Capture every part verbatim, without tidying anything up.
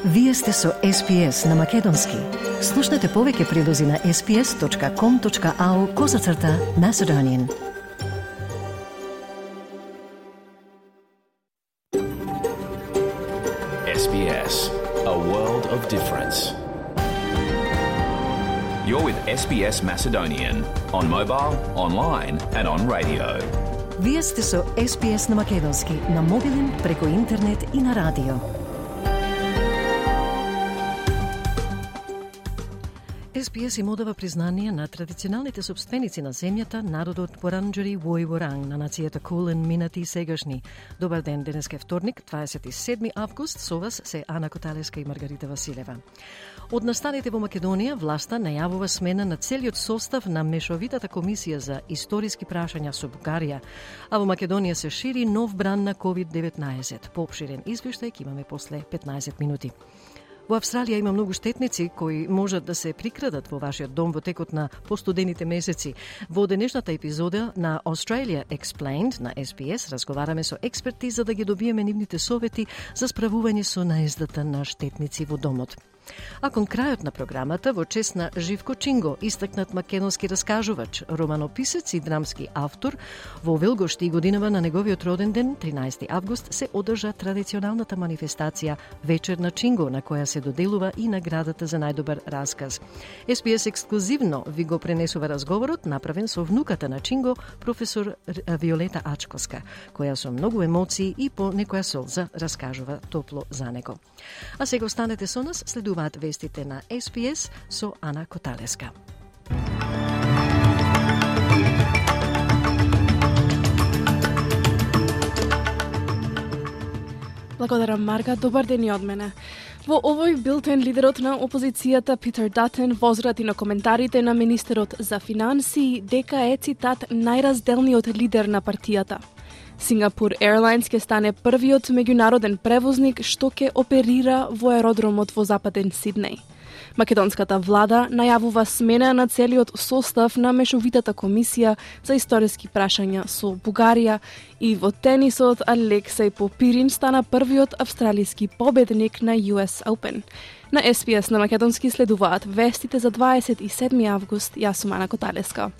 Вие сте со Ес Би Ес на Македонски. Слушнете повеќе прилози на ес би ес точка ком точка ау козацрта Macedonian. Ес Би Ес, a world of difference. You're with Ес Би Ес Macedonian on mobile, online and on radio. Вие сте со Ес Би Ес на Македонски, на мобилен, преку интернет и на радио. Ес Би Ес им одава признание на традиционалните собственици на земјата, народот Воранџери Војворанг, на нацијата Кулен, минати и сегашни. Добар ден, денеска е вторник, дваесет и седми август, со вас се Ана Коталеска и Маргарита Василева. Од настаните во Македонија, власта најавува смена на целиот состав на Мешовитата комисија за историски прашања со Бугарија, а во Македонија се шири нов бран на ковид деветнаесет. Поопширен извештај ќе имаме после петнаесет минути. Во Австралија има многу штетници кои можат да се прикрадат во вашиот дом во текот на постудените месеци. Во денешната епизода на Australia Explained на Ес Би Ес разговараме со експерти за да ги добиеме нивните совети за справување со наездата на штетници во домот. А кон крајот на програмата, во чест на Живко Чинго, истакнат македонски раскажувач, романописец и драмски автор, во Велгошти и годинава на неговиот роден ден, тринаесети август, се одржа традиционалната манифестација Вечер на Чинго, на која се доделува и наградата за најдобар расказ. Ес Би Ес ексклузивно ви го пренесува разговорот, направен со внуката на Чинго, професор Виолета Ачковска, која со многу емоции и по некоја солза раскажува топло за него. А сега останете со нас, следуваат вестите на Ес Би Ес со Ана Коталеска. Благодарам, Марга. Добар ден и од мене. Во овој билтен лидерот на опозицијата Питер Датен возрати на коментарите на министерот за финансии дека е, цитат, најразделниот лидер на партијата. Singapore Airlines ќе стане првиот меѓународен превозник што ќе оперира во аеродромот во западен Сиднеј. Македонската влада најавува смена на целиот состав на Мешовитата комисија за историски прашања со Бугарија и во тенисот Алексеј Попирин стана првиот австралиски победник на Ю Ес Open. На Ес Би Ес на Македонски следуваат вестите за дваесет и седми август. Јас сум Ана Коталеска.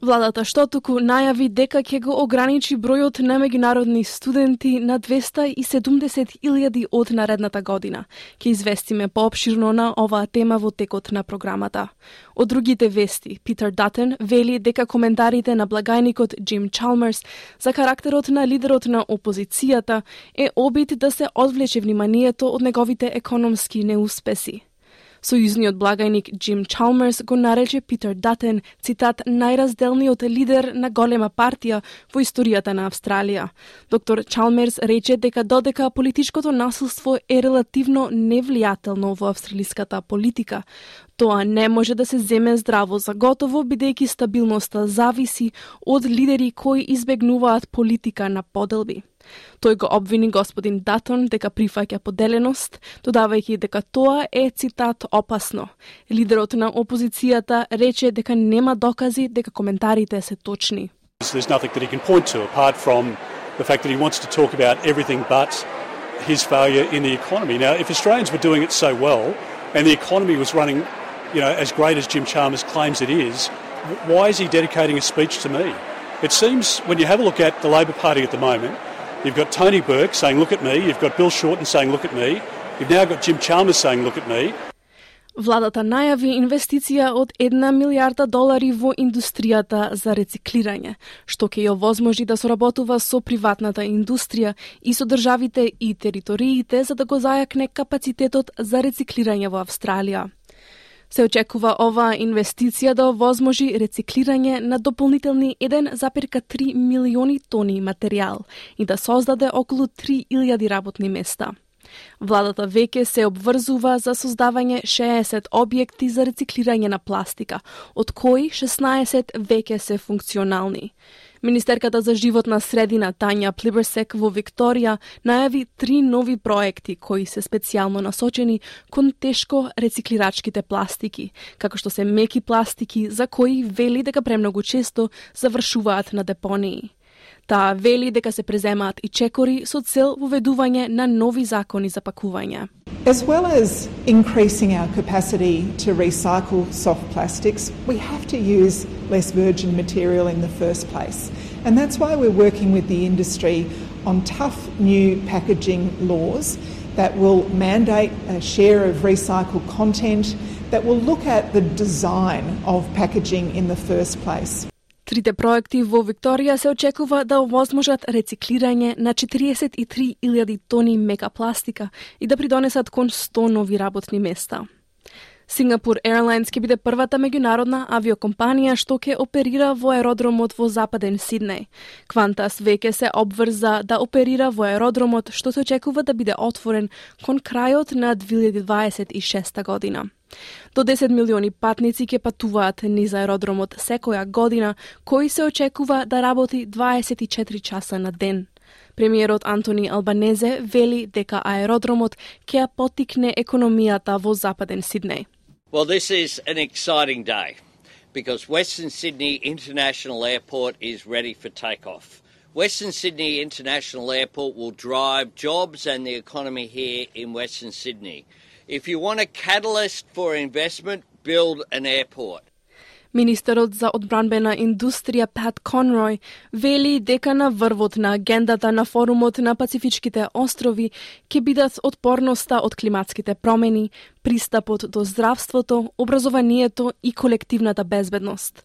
Владата што туку најави дека ќе го ограничи бројот на меѓународни студенти на двеста и седумдесет илјади од наредната година. Ќе известиме поопширно на оваа тема во текот на програмата. Од другите вести, Питер Датен вели дека коментарите на благајникот Джим Чалмерс за карактерот на лидерот на опозицијата е обид да се одвлече вниманието од неговите економски неуспеси. Сојузниот благајник Джим Чалмерс го нарече Питер Датен, цитат, најразделниот лидер на голема партија во историјата на Австралија. Доктор Чалмерс рече дека додека политичкото насилство е релативно невлијателно во австралиската политика, тоа не може да се земе здраво за готово, бидејќи стабилноста зависи од лидери кои избегнуваат политика на поделби. Тој го обвини господин Датон дека прифаќа поделеност, додавајќи дека тоа е, цитат, опасно. Лидерот на опозицијата рече дека нема докази дека коментарите се точни. There's nothing that he can point to apart from the fact that he wants to talk about everything but his failure in the economy. Now, if Australians were doing it so well and the economy was running, you know, as great as Jim Chalmers claims it is, why is he dedicating a speech to me? It seems when you have a look at the Labor Party at the moment, you've got Tony Burke saying, look at me. You've got Bill Shorten saying, look at me. You've now got Jim Chalmers saying, look at me. Владата најави инвестиција од една милијарда долари во индустријата за рециклирање, што ќе ја овозможи да соработува со приватната индустрија и со државите и териториите за да го зајакне капацитетот за рециклирање во Австралија. Се очекува оваа инвестиција да овозможи рециклирање на дополнителни еден зарез три милиони тони материјал и да создаде околу три илјади работни места. Владата веќе се обврзува за создавање шеесет објекти за рециклирање на пластика, од кои шеснаесет веќе се функционални. Министерката за животна средина Тања Плиберсек во Викторија најави три нови проекти кои се специјално насочени кон тешко рециклирачките пластики, како што се меки пластики за кои вели дека премногу често завршуваат на депонии. Таа вели дека се преземаат и чекори со цел воведување на нови закони за пакување. As well as increasing our capacity to recycle soft plastics, we have to use less virgin material in the first place. And that's why we're working with the industry on tough new packaging laws that will mandate a share of recycled content, that will look at the design of packaging in the first place. Трите проекти во Викторија се очекува да овозможат рециклирање на четириесет и три илјади тони мека пластика и да придонесат кон сто нови работни места. Singapore Airlines ќе биде првата меѓународна авиокомпанија што ќе оперира во аеродромот во Западен Сиднеј. Qantas веќе се обврза да оперира во аеродромот што се очекува да биде отворен кон крајот на две илјади дваесет и шеста година. До десет милиони патници ќе патуваат низ аеродромот секоја година, кој се очекува да работи дваесет и четири часа на ден. Премиерот Антони Албанезе вели дека аеродромот ќе ја поттикне економијата во Западен Сиднеј. Well, this is an exciting day because Western Sydney International Airport is ready for takeoff. Western Sydney International Airport will drive jobs and the economy here in Western Sydney. If you want a catalyst for investment, build an airport. Министерот за одбранбена индустрија Пат Конрој вели дека на врвот на агендата на форумот на Пацифичките острови ќе бидат отпорноста од климатските промени, пристапот до здравството, образованието и колективната безбедност.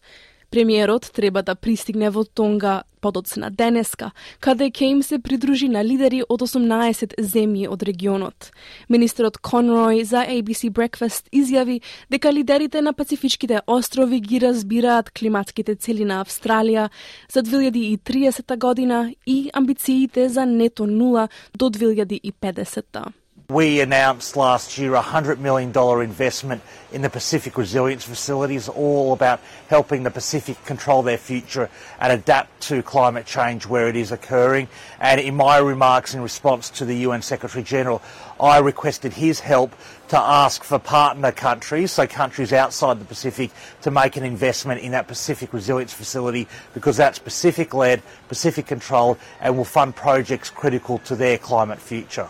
Премиерот треба да пристигне во Тонга подоцна денеска, каде ќе им се придружи на лидери од осумнаесет земји од регионот. Министерот Конрој за A B C Breakfast изјави дека лидерите на Пацифичките острови ги разбираат климатските цели на Австралија за две илјади и триесета година и амбициите за нето нула до две илјади и педесета. We announced last year a one hundred million dollars investment in the Pacific Resilience Facilities, all about helping the Pacific control their future and adapt to climate change where it is occurring. And in my remarks in response to the U N Secretary General, I requested his help to ask for partner countries, so countries outside the Pacific, to make an investment in that Pacific Resilience Facility because that's Pacific-led, Pacific-controlled and will fund projects critical to their climate future.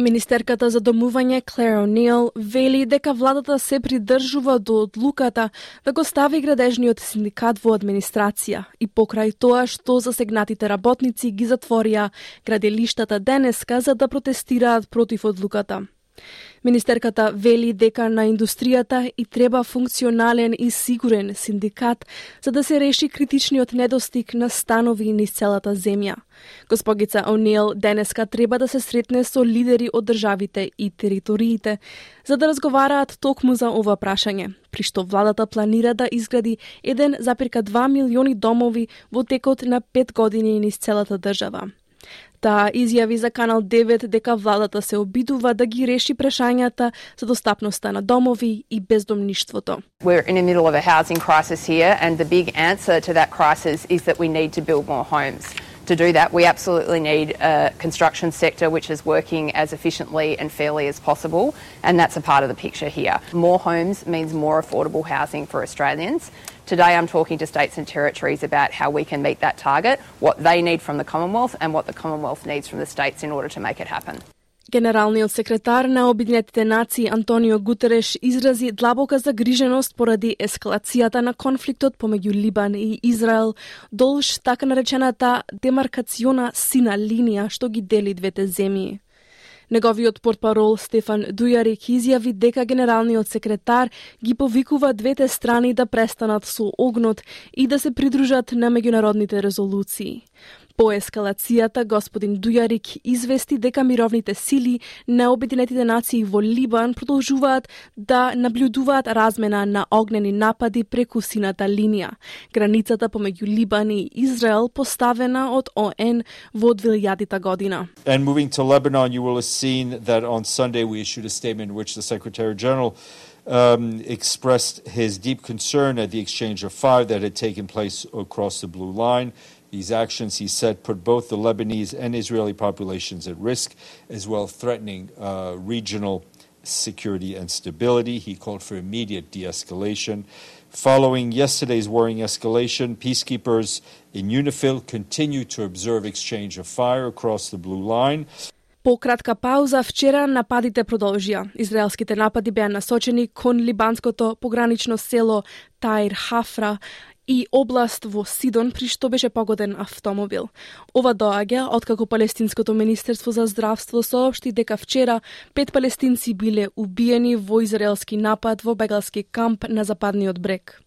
Министерката за домување Клер О'Нил вели дека владата се придржува до одлуката да го стави градежниот синдикат во администрација и покрај тоа што засегнатите работници ги затворија граделиштата денеска за да протестираат против одлуката. Министерката вели дека на индустријата и треба функционален и сигурен синдикат за да се реши критичниот недостиг на станови низ целата земја. Госпогица О'Нил денеска треба да се сретне со лидери од државите и териториите за да разговараат токму за ова прашање, при што владата планира да изгради еден запирка два милиони домови во текот на пет години низ целата држава. Таа изјави за Канал девет дека владата се обидува да ги реши прашањата за достапноста на домови и бездомништвото. We're in the middle of a housing crisis here and the big answer to that crisis is that we need to build more homes. To do that, we absolutely need a construction sector which is working as efficiently and fairly as possible, and that's a part of the picture here. More homes means more affordable housing for Australians. Today I'm talking to states and territories about how we can meet that target, what they need from the Commonwealth and what the Commonwealth needs from the states in order to make it happen. Генералниот секретар на Обединетите нации Антонио Гутереш изрази длабока загриженост поради ескалацијата на конфликтот помеѓу Либан и Израел долж така наречената демаркациона сина линија што ги дели двете земји. Неговиот портпарол Стефан Дујарик изјави дека генералниот секретар ги повикува двете страни да престанат со огнот и да се придружат на меѓународните резолуции. По ескалацијата, господин Дујарик извести дека мировните сили на Обединетите нации во Либан продолжуваат да наблюдуваат размена на огнени напади преку сината линија, границата помеѓу Либан и Израел поставена од О Н во две илјадата година. And moving to Lebanon, you will have seen that on Sunday we issued a statement in which the Secretary General um, expressed his deep concern at the exchange of fire that had taken place across the Blue Line. These actions, he said, put both the Lebanese and Israeli populations at risk, as well threatening uh, regional security and stability. He called for immediate de-escalation. Following yesterday's worrying escalation, peacekeepers in UNIFIL continue to observe exchange of fire across the blue line. По кратка пауза, вчера нападите продолжија. Израелските напади беа насочени кон либанското погранично село Таир Хафра и област во Сидон, при што беше погоден автомобил. Ова доаѓа откако Палестинското министерство за здравство соопшти дека вчера пет палестинци биле убиени во израелски напад во бегалски камп на западниот брег.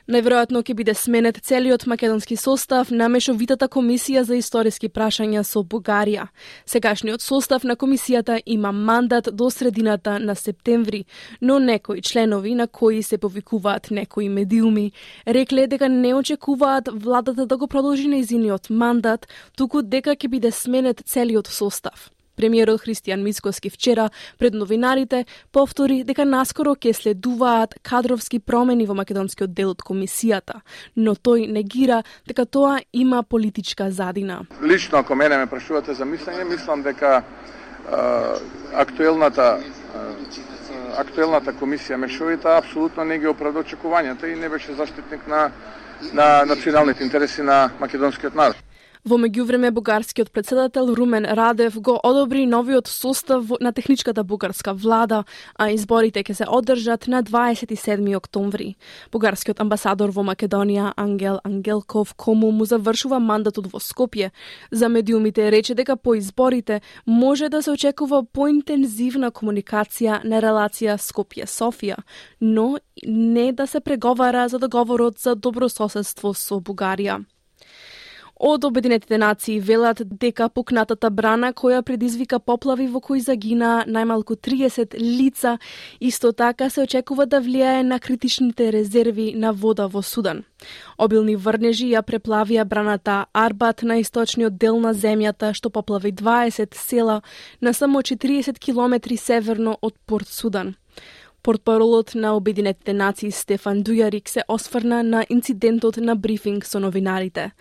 Најверојатно ќе биде сменет целиот македонски состав на мешовитата комисија за историски прашања со Бугарија. Сегашниот состав на комисијата има мандат до средината на септември, но некои членови на кои се повикуваат некои медиуми рекле дека не очекуваат владата да го продолжи нејзиниот мандат, туку дека ќе биде сменет целиот состав. Премиерот Христијан Мицкоски вчера пред новинарите повтори дека наскоро ќе следуваат кадровски промени во македонскиот дел од комисијата, но тој негира дека тоа има политичка задина. Лично, ако мене ме прашувате за мислење, мислам дека а, актуелната а, актуелната комисија мешовита апсолутно не ги оправда очекувањата и не беше заштитник на на националните интереси на македонскиот народ. Во меѓувреме, бугарскиот претседател Румен Радев го одобри новиот состав на техничката бугарска влада, а изборите ќе се одржат на дваесет и седми октомври. Бугарскиот амбасадор во Македонија Ангел Ангелков, кому му завршува мандатот во Скопје, за медиумите рече дека по изборите може да се очекува поинтензивна комуникација на релација Скопје-Софија, но не да се преговара за договорот за добрососедство со Бугарија. Од Обединетите нации велат дека пукнатата брана која предизвика поплави во кои загина најмалку триесет лица, исто така се очекува да влијае на критичните резерви на вода во Судан. Обилни врнежи ја преплавија браната Арбат на источниот дел на земјата, што поплави дваесет села на само четириесет километри северно од Порт Судан. Портпаролот на Обединетите нации Стефан Дујарик се осврна на инцидентот на брифинг со новинарите.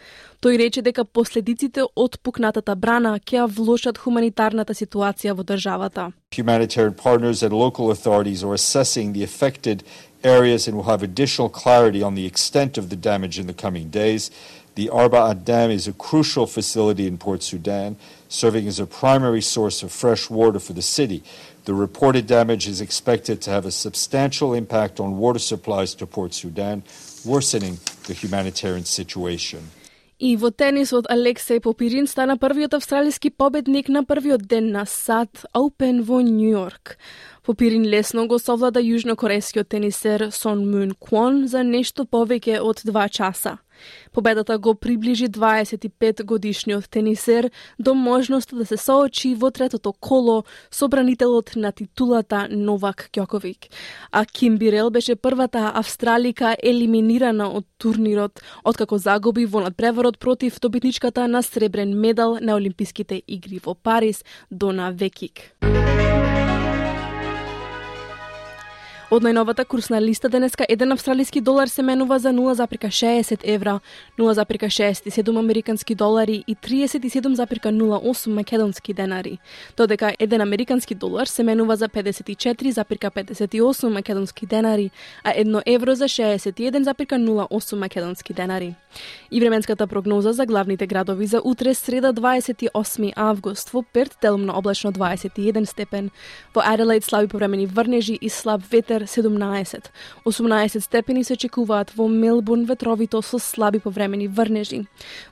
Тој рече дека последиците од пукнатата брана ќе ја влошат хуманитарната ситуација во државата. Humanitarian partners and local authorities are assessing the affected areas and will have additional clarity on the extent of the damage in the coming days. The Arbaat Dam is a crucial facility in Port Sudan, serving as a primary source of fresh water for the city. The reported damage is expected to have a substantial impact on water supplies to Port Sudan, worsening the humanitarian situation. И во тенисот Алексеј Попирин стана првиот австралиски победник на првиот ден на САД Open во Нью Йорк. Попирин лесно го совлада јужнокорејскиот тенисер Сон Мун Квон за нешто повеќе од два часа. Победата го приближи дваесет и пет годишниот тенисер до можноста да се соочи во третото коло со бранителот на титулата Новак Ѓоковик. А Ким Бирел беше првата австралика елиминирана од турнирот, откако загуби во надпреварот против добитничката на сребрен медал на Олимписките игри во Париз, Дона Векик. Од најновата курсна листа денеска еден австралиски долар се менува за нула запирка шеесет евра, нула запирка шеесет и седум американски долари и триесет и седум запирка нула осум македонски денари. Додека еден американски долар се менува за педесет и четири запирка педесет и осум македонски денари, а едно евро за шеесет и еден запирка нула осум македонски денари. И временската прогноза за главните градови за утре, среда дваесет и осми август, во Перт делумно облачно дваесет и еден степен, во Аделаид слаби повремени врнежи и слаб ветер седумнаесет. осумнаесет степени се очекуваат во Мелбурн, ветровито со слаби повремени врнежи.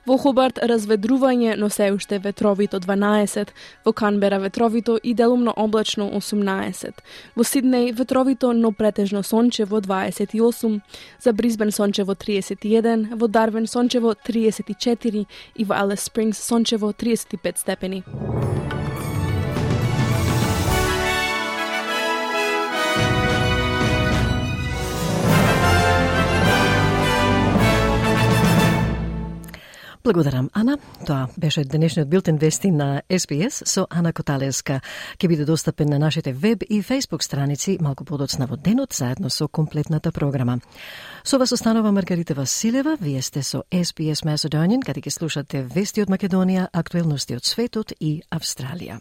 Во Хобарт разведрување, но се уште ветровито дванаесет, во Канбера ветровито и делумно облачно осумнаесет. Во Сиднеј ветровито, но претежно сончево дваесет и осум, за Брисбен сончево триесет и еден, во Дарвин сончево триесет и четири и во Алис Спрингс сончево триесет и пет степени. Благодарам, Ана. Тоа беше денешниот билтен вести на Ес Би Ес со Ана Коталеска. Ке биде достапен на нашите веб и фејсбук страници малку подоцна во денот, заедно со комплетната програма. Со вас останува Маргарита Василева. Вие сте со Ес Би Ес Macedonian, каде ќе слушате вести од Македонија, актуелности од светот и Австралија.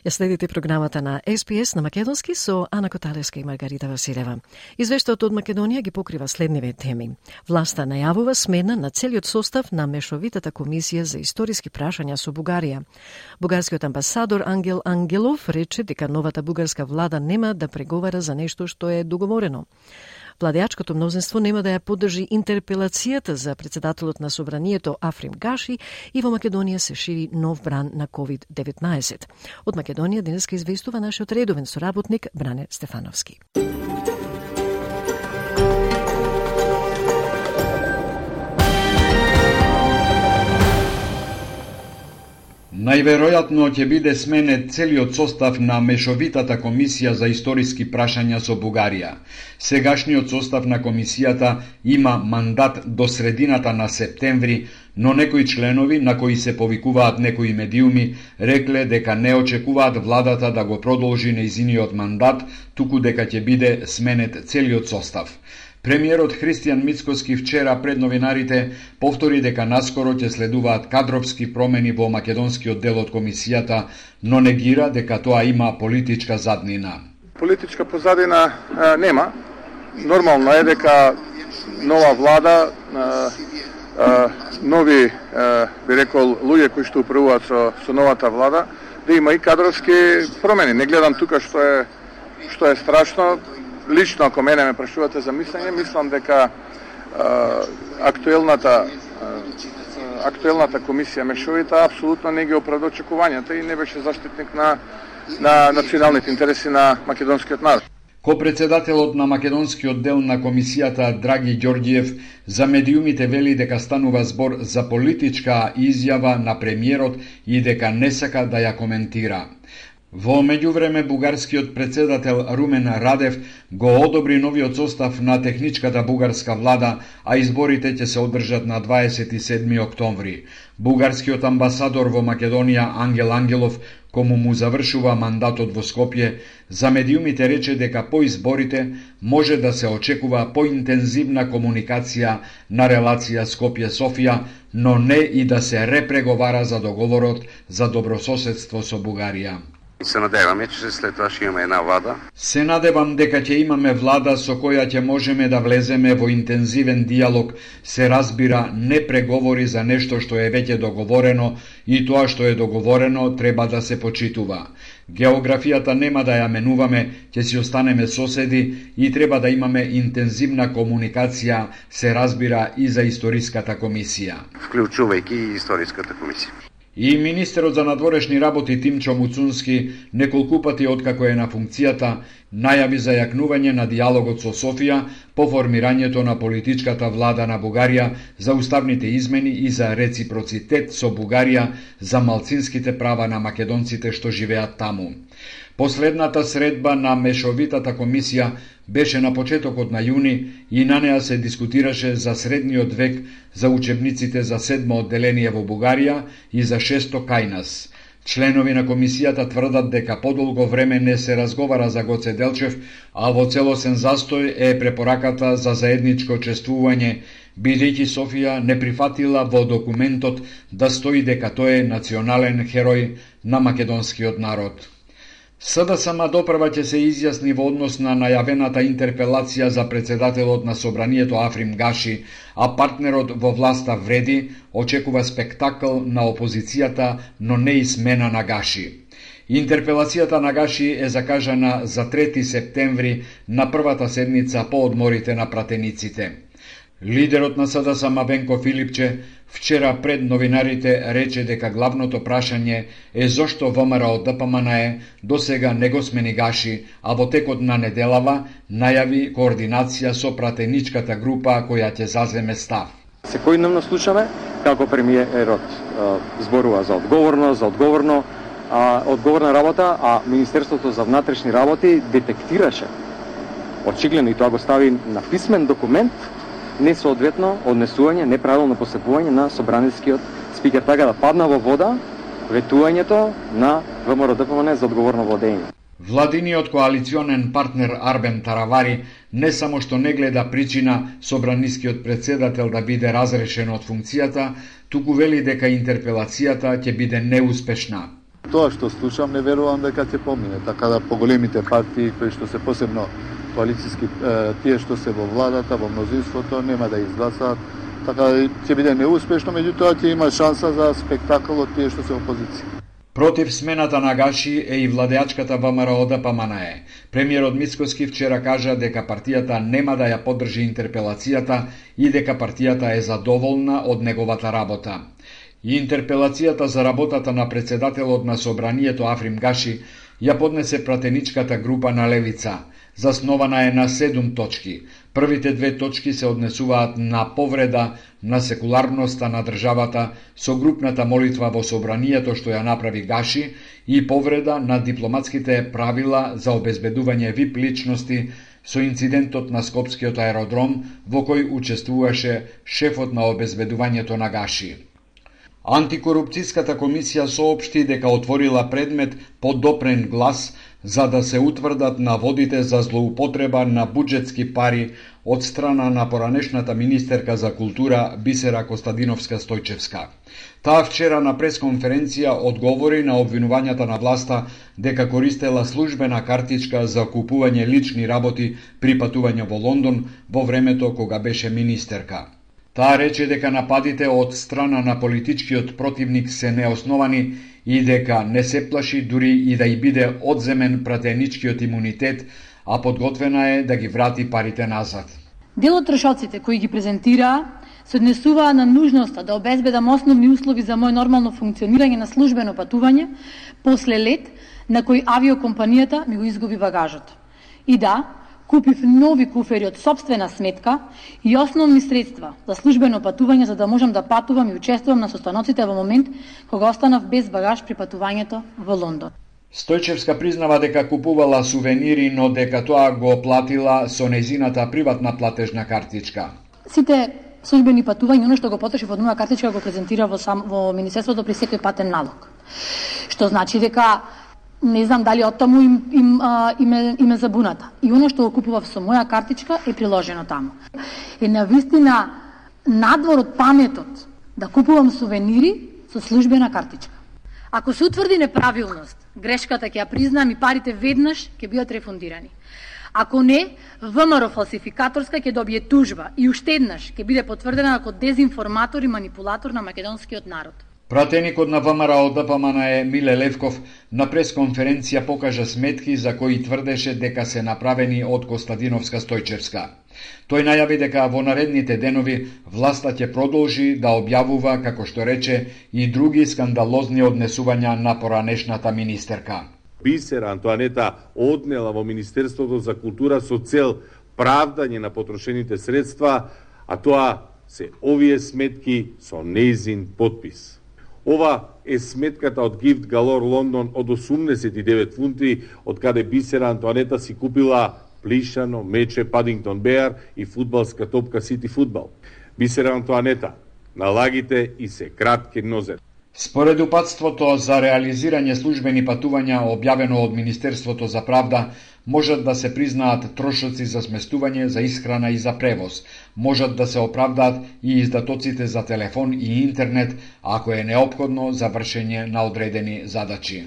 Ја следите програмата на Ес Би Ес на македонски со Ана Коталеска и Маргарита Василева. Извештаот од Македонија ги покрива следниве теми. Власта најавува смена на целиот состав на Мешовитата комисија за историски прашања со Бугарија. Бугарскиот амбасадор Ангел Ангелов рече дека новата бугарска влада нема да преговара за нешто што е договорено. Владеачкото мнозинство нема да ја поддржи интерпелацијата за председателот на Собранието Африм Гаши и во Македонија се шири нов бран на ковид деветнаесет. Од Македонија денеска известува нашиот редовен соработник Бране Стефановски. Најверојатно ќе биде сменет целиот состав на Мешовитата комисија за историски прашања со Бугарија. Сегашниот состав на комисијата има мандат до средината на септември, но некои членови, на кои се повикуваат некои медиуми, рекле дека не очекуваат владата да го продолжи нејзиниот мандат, туку дека ќе биде сменет целиот состав. Премиерот Христијан Мицкоски вчера пред новинарите повтори дека наскоро ќе следуваат кадровски промени во македонскиот дел од комисијата, но негира дека тоа има политичка заднина. Политичка позадина а, нема. Нормално е дека нова влада, а, а, нови, а, би рекол, луѓе кои што управуваат со, со новата влада, да има и кадровски промени. Не гледам тука што е, што е страшно. Лично, ако мене ме прашувате за мислење, мислам дека а, актуелната а, актуелната комисија Мешовита апсолутно не ги оправда очекувањата и не беше заштитник на на националните интереси на македонскиот народ. Ко-председателот на македонскиот дел на комисијата Драги Ѓорѓиев за медиумите вели дека станува збор за политичка изјава на премиерот и дека не сака да ја коментира. Во меѓувреме, бугарскиот председател Румен Радев го одобри новиот состав на техничката бугарска влада, а изборите ќе се одржат на дваесет и седми октомври. Бугарскиот амбасадор во Македонија Ангел Ангелов, кому му завршува мандатот во Скопје, за медиумите рече дека по изборите може да се очекува поинтензивна комуникација на релација Скопје-Софија, но не и да се репреговара за договорот за добрососедство со Бугарија. Се надеваме, че след тоа ќе имаме една влада. Се надевам дека ќе имаме влада со која ќе можеме да влеземе во интензивен диалог, се разбира не преговори за нешто што е веќе договорено и тоа што е договорено треба да се почитува. Географијата нема да ја менуваме, ќе си останеме соседи и треба да имаме интензивна комуникација, се разбира и за историската комисија. Вклучувајќи и историската комисија. И министерот за надворешни работи Тимчо Муцунски неколку пати откако е на функцијата најави за јакнување на диалогот со Софија по формирањето на политичката влада на Бугарија за уставните измени и за реципроцитет со Бугарија за малцинските права на македонците што живеат таму. Последната средба на Мешовитата комисија беше на почетокот на јуни и на неа се дискутираше за средниот век, за учебниците за седмо одделение во Бугарија и за шесто кај нас. Членови на комисијата тврдат дека подолго време не се разговара за Гоце Делчев, а во целосен застој е препораката за заедничко чествување, бидејќи Софија не прифатила во документот да стои дека тој е национален херој на македонскиот народ. СДСМ допрва ќе се изјасни во однос на најавената интерпелација за председателот на Собранието Африм Гаши, а партнерот во власта Вреди очекува спектакл на опозицијата, но не и смена на Гаши. Интерпелацијата на Гаши е закажана за трети септември на првата седница по одморите на пратениците. Лидерот на СДСМ Венко Филипче вчера пред новинарите рече дека главното прашање е зошто ВМРО ДПМНЕ досега не го смени Гаши, а во текот на неделава најави координација со пратеничката група која ќе заземе став. Секојдневно слушаме како премиерот зборува за одговорно, за одговорно, а, одговорна работа, а Министерството за внатрешни работи детектираше очигледно и тоа го стави на писмен документ несоодветно однесување, неправилно постапување на собранискиот спикер, така да падна во вода ветувањето на ВМРО ДПМН за одговорно водење. Владиниот коалиционен партнер Арбен Таравари не само што не гледа причина собранискиот председател да биде разрешен од функцијата, туку вели дека интерпелацијата ќе биде неуспешна. Тоа што слушам не верувам дека ќе помине, така да поголемите партии кои што се посебно коалициски, тие што се во владата, во мнозинството, нема да изгласаат, така да ќе биде неуспешно, меѓутоа ќе има шанса за спектакл од тие што се опозиција. Против смената на Гаши е и владеачката ВМРО Д П М Н Е. Премиерот Мицкоски вчера кажа дека партијата нема да ја поддржи интерпелацијата и дека партијата е задоволна од неговата работа. И интерпелацијата за работата на председателот на Собранието Африм Гаши ја поднесе пратеничката група на Левица. Заснована е на седум точки. Првите две точки се однесуваат на повреда на секуларноста на државата со групната молитва во Собранието што ја направи Гаши и повреда на дипломатските правила за обезбедување вип личности со инцидентот на Скопскиот аеродром во кој учествуваше шефот на обезбедувањето на Гаши. Антикорупцијската комисија соопшти дека отворила предмет по допрен глас за да се утврдат наводите за злоупотреба на буџетски пари од страна на поранешната министерка за култура Бисера Костадиновска-Стојчевска. Таа вчера на пресконференција одговори на обвинувањата на власта дека користела службена картичка за купување лични работи при патување во Лондон во времето кога беше министерка. Таа рече дека нападите од страна на политичкиот противник се неосновани и дека не се плаши дури и да и биде одземен пратеничкиот имунитет, а подготвена е да ги врати парите назад. Дел од трошоците кои ги презентираа се однесуваа на нужноста да обезбедам основни услови за мој нормално функционирање на службено патување после лет на кој авиокомпанијата ми го изгуби багажот. И да, купив нови куфери од сопствена сметка и основни средства за службено патување за да можам да патувам и учествувам на состаноците во момент кога останав без багаж при патувањето во Лондон. Стојчевска признава дека купувала сувенири, но дека тоа го платила со нејзината приватна платежна картичка. Сите службени патувања, оно што го потроши од моја картичка го презентира во, сам, во Министерството при секој патен налог. Што значи дека не знам дали од таму им, им, а, име, име забуната. И оно што го купував со моја картичка е приложено таму. Е навистина надвор од паметот да купувам сувенири со службена картичка. Ако се утврди неправилност, грешката ќе ја признам и парите веднаш ќе бидат рефундирани. Ако не, ВМРО фалсификаторска ќе добие тужба и уште еднаш ќе биде потврдена како дезинформатор и манипулатор на македонскиот народ. Пратеникот на ВМРО Д П М Н Е Миле Левков на пресконференција покажа сметки за кои тврдеше дека се направени од Костадиновска-Стојчевска. Тој најави дека во наредните денови власта ќе продолжи да објавува, како што рече, и други скандалозни однесувања на поранешната министерка. Бисера Антоанета однела во Министерството за култура со цел правдање на потрошените средства, а тоа се овие сметки со нејзин подпис. Ова е сметката од Gift Galore Лондон од осумдесет и девет фунти, од каде Бисера Антоанета си купила плишано мече Падингтон Беар и фудбалска топка Сити Фудбал. Бисера Антоанета, налагите и се кратки нозе. Според упатството за реализирање службени патувања објавено од Министерството за правда, можат да се признаат трошоци за сместување, за исхрана и за превоз. Можат да се оправдаат и издатоците за телефон и интернет, ако е неопходно за вршење на одредени задачи.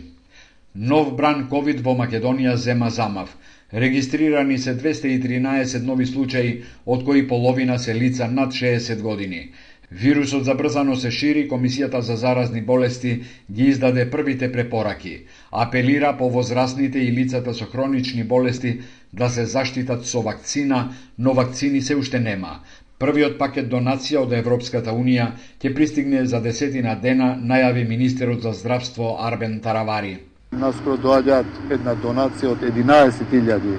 Нов бран ковид во Македонија зема замав. Регистрирани се двеста и тринаесет нови случаи, од кои половина се лица над шеесет години. Вирусот забрзано се шири, Комисијата за заразни болести ги издаде првите препораки. Апелира по возрастните и лицата со хронични болести да се заштитат со вакцина, но вакцини се уште нема. Првиот пакет донација од Европската Унија ќе пристигне за десетина дена, најави министерот за здравство Арбен Таравари. Наскоро доаѓаат една донација од единаесет илјади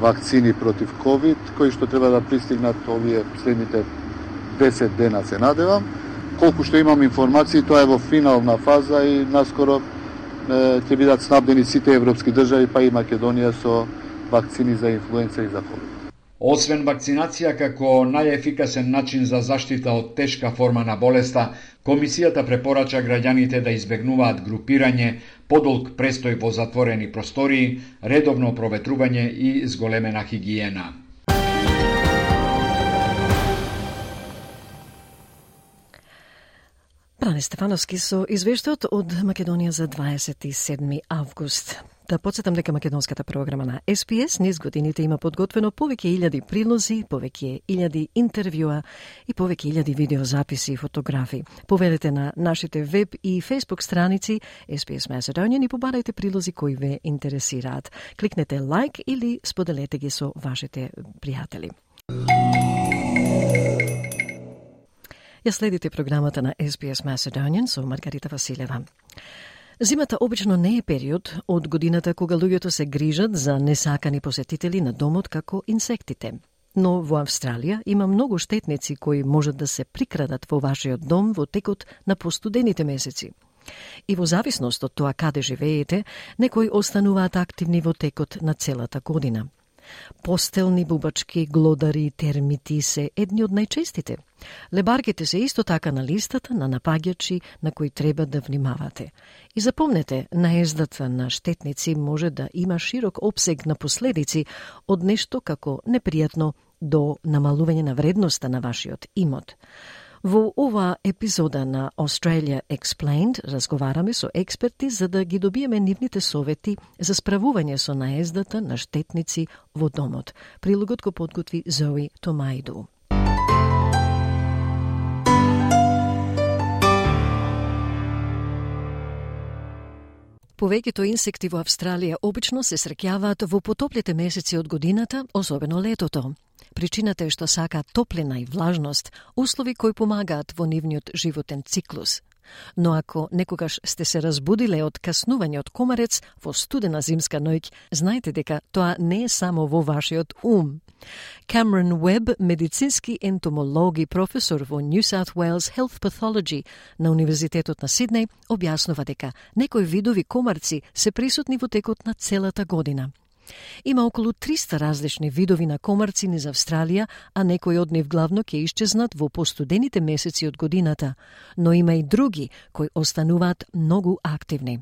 вакцини против ковид, кои што треба да пристигнат овие следните десет дена, се надевам. Колку што имам информации, тоа е во финална фаза и наскоро е, ќе бидат снабдени сите европски држави, па и Македонија со вакцини за инфлуенца и за ковид. Освен вакцинација како најефикасен начин за заштита од тешка форма на болеста, Комисијата препорача граѓаните да избегнуваат групирање, подолг престој во затворени простории, редовно проветрување и зголемена хигиена. Бране Стефановски со извештајот од Македонија за дваесет и седми август. Да подсетам дека македонската програма на Ес Би Ес низ годините има подготвено повеќе илјади прилози, повеќе илјади интервјуа и повеќе илјади видеозаписи и фотографии. Поведете на нашите веб и фейсбук страници Ес Би Ес Macedonian и побарајте прилози кои ве интересираат. Кликнете лайк или споделете ги со вашите пријатели. Ја следите програмата на Ес Би Ес Macedonian со Маргарита Василева. Зимата обично не е период од годината кога луѓето се грижат за несакани посетители на домот како инсектите. Но во Австралија има многу штетници кои можат да се прикрадат во вашиот дом во текот на постудените месеци. И во зависност од тоа каде живеете, некои остануваат активни во текот на целата година. Постелни бубачки, глодари, термити се едни од најчестите. Лебарките се исто така на листата на напаѓачи на кои треба да внимавате. И запомнете, наездата на штетници може да има широк опсег на последици од нешто како непријатно до намалување на вредноста на вашиот имот. Во ова епизода на Australia Explained разговараме со експерти за да ги добиеме нивните совети за справување со наездата на штетници во домот. Прилогот го подготви Зои Томајду. Повеќето инсекти во Австралија обично се среќаваат во потоплите месеци од годината, особено летото. Причината е што сакаат топлина и влажност, услови кои помагаат во нивниот животен циклус. Но ако некогаш сте се разбудиле од каснување од комарец во студена зимска ноќ, знаете дека тоа не е само во вашиот ум. Камерон Уеб, медицински ентомолог и професор во New South Wales Health Pathology на Универзитетот на Сиднеј, објаснува дека некои видови комарци се присутни во текот на целата година. Има околу триста различни видови на комарци низ Австралија, а некои од нив главно ќе исчезнат во постудените месеци од годината, но има и други кои остануваат многу активни.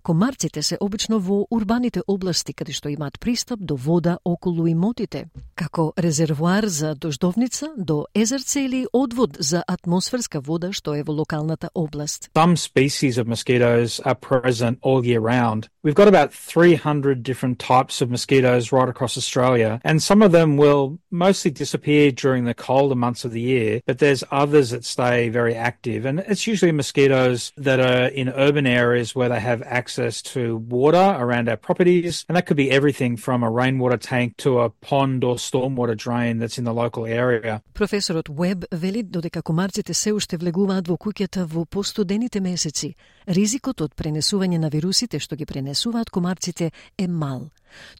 Комарците се обично во урбаните области каде што имаат пристап до вода околу имотите, како резервоар за дождовница, до езерце или одвод за атмосферска вода што е во локалната област. Some species of mosquitoes are present all year round. We've got about three hundred different types of mosquitoes right across Australia, and some of them will mostly disappear during the colder months of the year, but there's others that stay very active, and it's usually mosquitoes that are in urban areas where they have access to water around our properties, and that could be everything from a rainwater tank to a pond or stormwater drain that's in the local area. Професорот Уеб вели додека комарците се уште влегуваат во куќата во постудените месеци, ризикот од пренесување на вирусите што ги пренесуваат комарците е мал.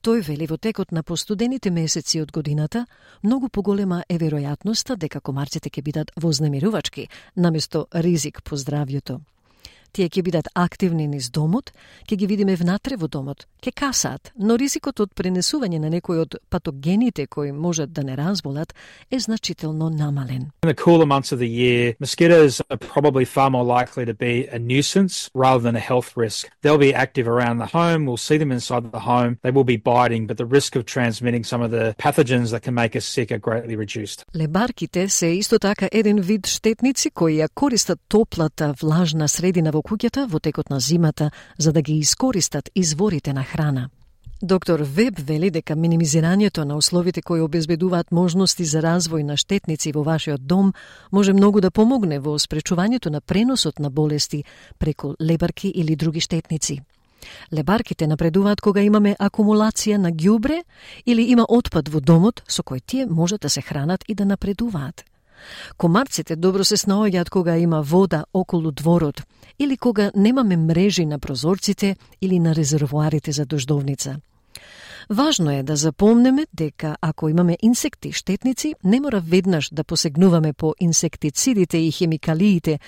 Тој вели во текот на постудените месеци од годината, многу поголема е веројатноста дека комарците ќе бидат вознемирувачки, наместо ризик по здравјето. Тие ќе бидат активни низ домот, ќе ги видиме внатре во домот, ќе касаат, но ризикот од пренесување на некои од патогените кои можат да не разболат е значително намален. In the cooler months of the year, mosquitoes are probably far more likely to be a nuisance rather than a health risk. They'll be active around the home, we'll see them inside the home, they will be biting, but the risk of transmitting some of the pathogens that can make us sick are greatly reduced. Лебарките се исто така еден вид штетници кои ја користат топлата, влажна средина во куќата во текот на зимата за да ги искористат изворите на храна. Доктор Веб вели дека минимизирањето на условите кои обезбедуваат можности за развој на штетници во вашиот дом може многу да помогне во спречувањето на преносот на болести преку лебарки или други штетници. Лебарките напредуваат кога имаме акумулација на ѓубре или има отпад во домот со кој тие можат да се хранат и да напредуваат. Комарците добро се снаоѓаат кога има вода околу дворот или кога немаме мрежи на прозорците или на резервоарите за дождовница. Важно е да запомнеме дека ако имаме инсекти штетници, не мора веднаш да посегнуваме по инсектицидите и хемикалиите,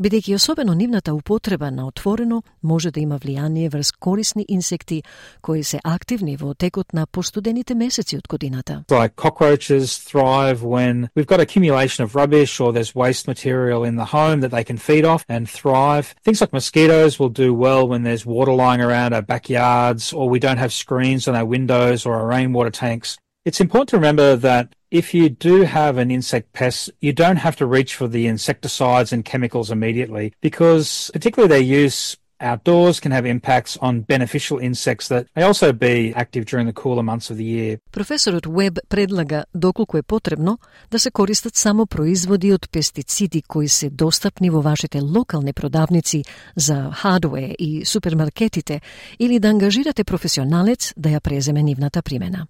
бидејќи особено нивната употреба на отворено може да има влијание врз корисни инсекти кои се активни во текот на постудените месеци од годината. Like cockroaches thrive when we've got accumulation of rubbish or there's waste material in the home that they can feed off and thrive. Things like mosquitoes will do well when there's water lying around our backyards or we don't have screens on our windows or our rainwater tanks. It's important to remember that if you do have an insect pest, you don't have to reach for the insecticides and chemicals immediately, because particularly their use outdoors can have impacts on beneficial insects that may also be active during the cooler months of the year. Професорот Уеб предлага доколку е потребно да се користат само производи од пестициди кои се достапни во вашите локални продавници за хардвер и супермаркетите или да ангажирате професионалец да ја преземе нивната примена.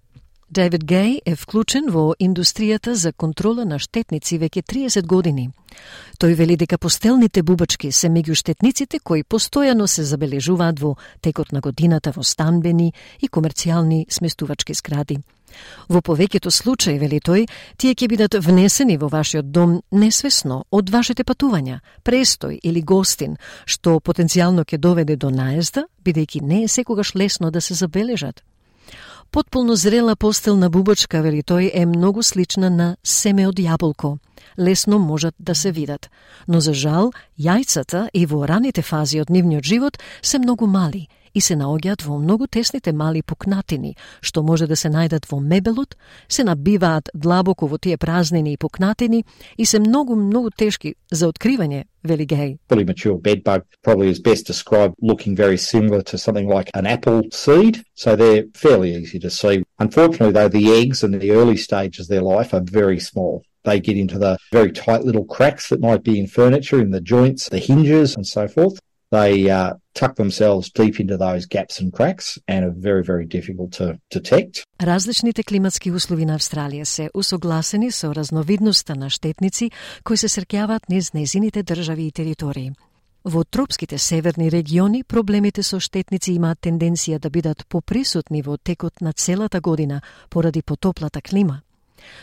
Дейвид Гей е вклучен во индустријата за контрола на штетници веќе триесет години. Тој вели дека постелните бубачки се меѓу штетниците кои постојано се забележуваат во текот на годината во станбени и комерцијални сместувачки згради. Во повеќето случаи, вели тој, тие ќе бидат внесени во вашиот дом несвесно од вашите патувања, престој или гостин, што потенцијално ќе доведе до наезда, бидејќи не е секогаш лесно да се забележат. Потполно зрела постелна бубачка, вели тој, е многу слична на семе од јаболко. Лесно можат да се видат, но за жал, јајцата и во раните фази од нивниот живот се многу мали и се наоѓаат во многу тесните мали пукнатини, што може да се најдат во мебелот, се набиваат длабоко во тие празнини и пукнатини и се многу, многу тешки за откривање, вели Гей. Fully mature bedbug probably is best described looking very similar to something like an apple seed, so they're fairly easy to see. Unfortunately, though, the eggs in the early stages of their life are very small. They get into the very tight little cracks that might be in furniture, in the joints, the hinges and so forth. They uh, tuck themselves deep into those gaps and cracks and are very, very difficult to detect. Различните климатски услови на Австралија се усогласени со разновидноста на штетници кои се среќаваат низ незините држави и територии. Во тропските северни региони проблемите со штетници имаат тенденција да бидат поприсутни во текот на целата година поради потоплата клима.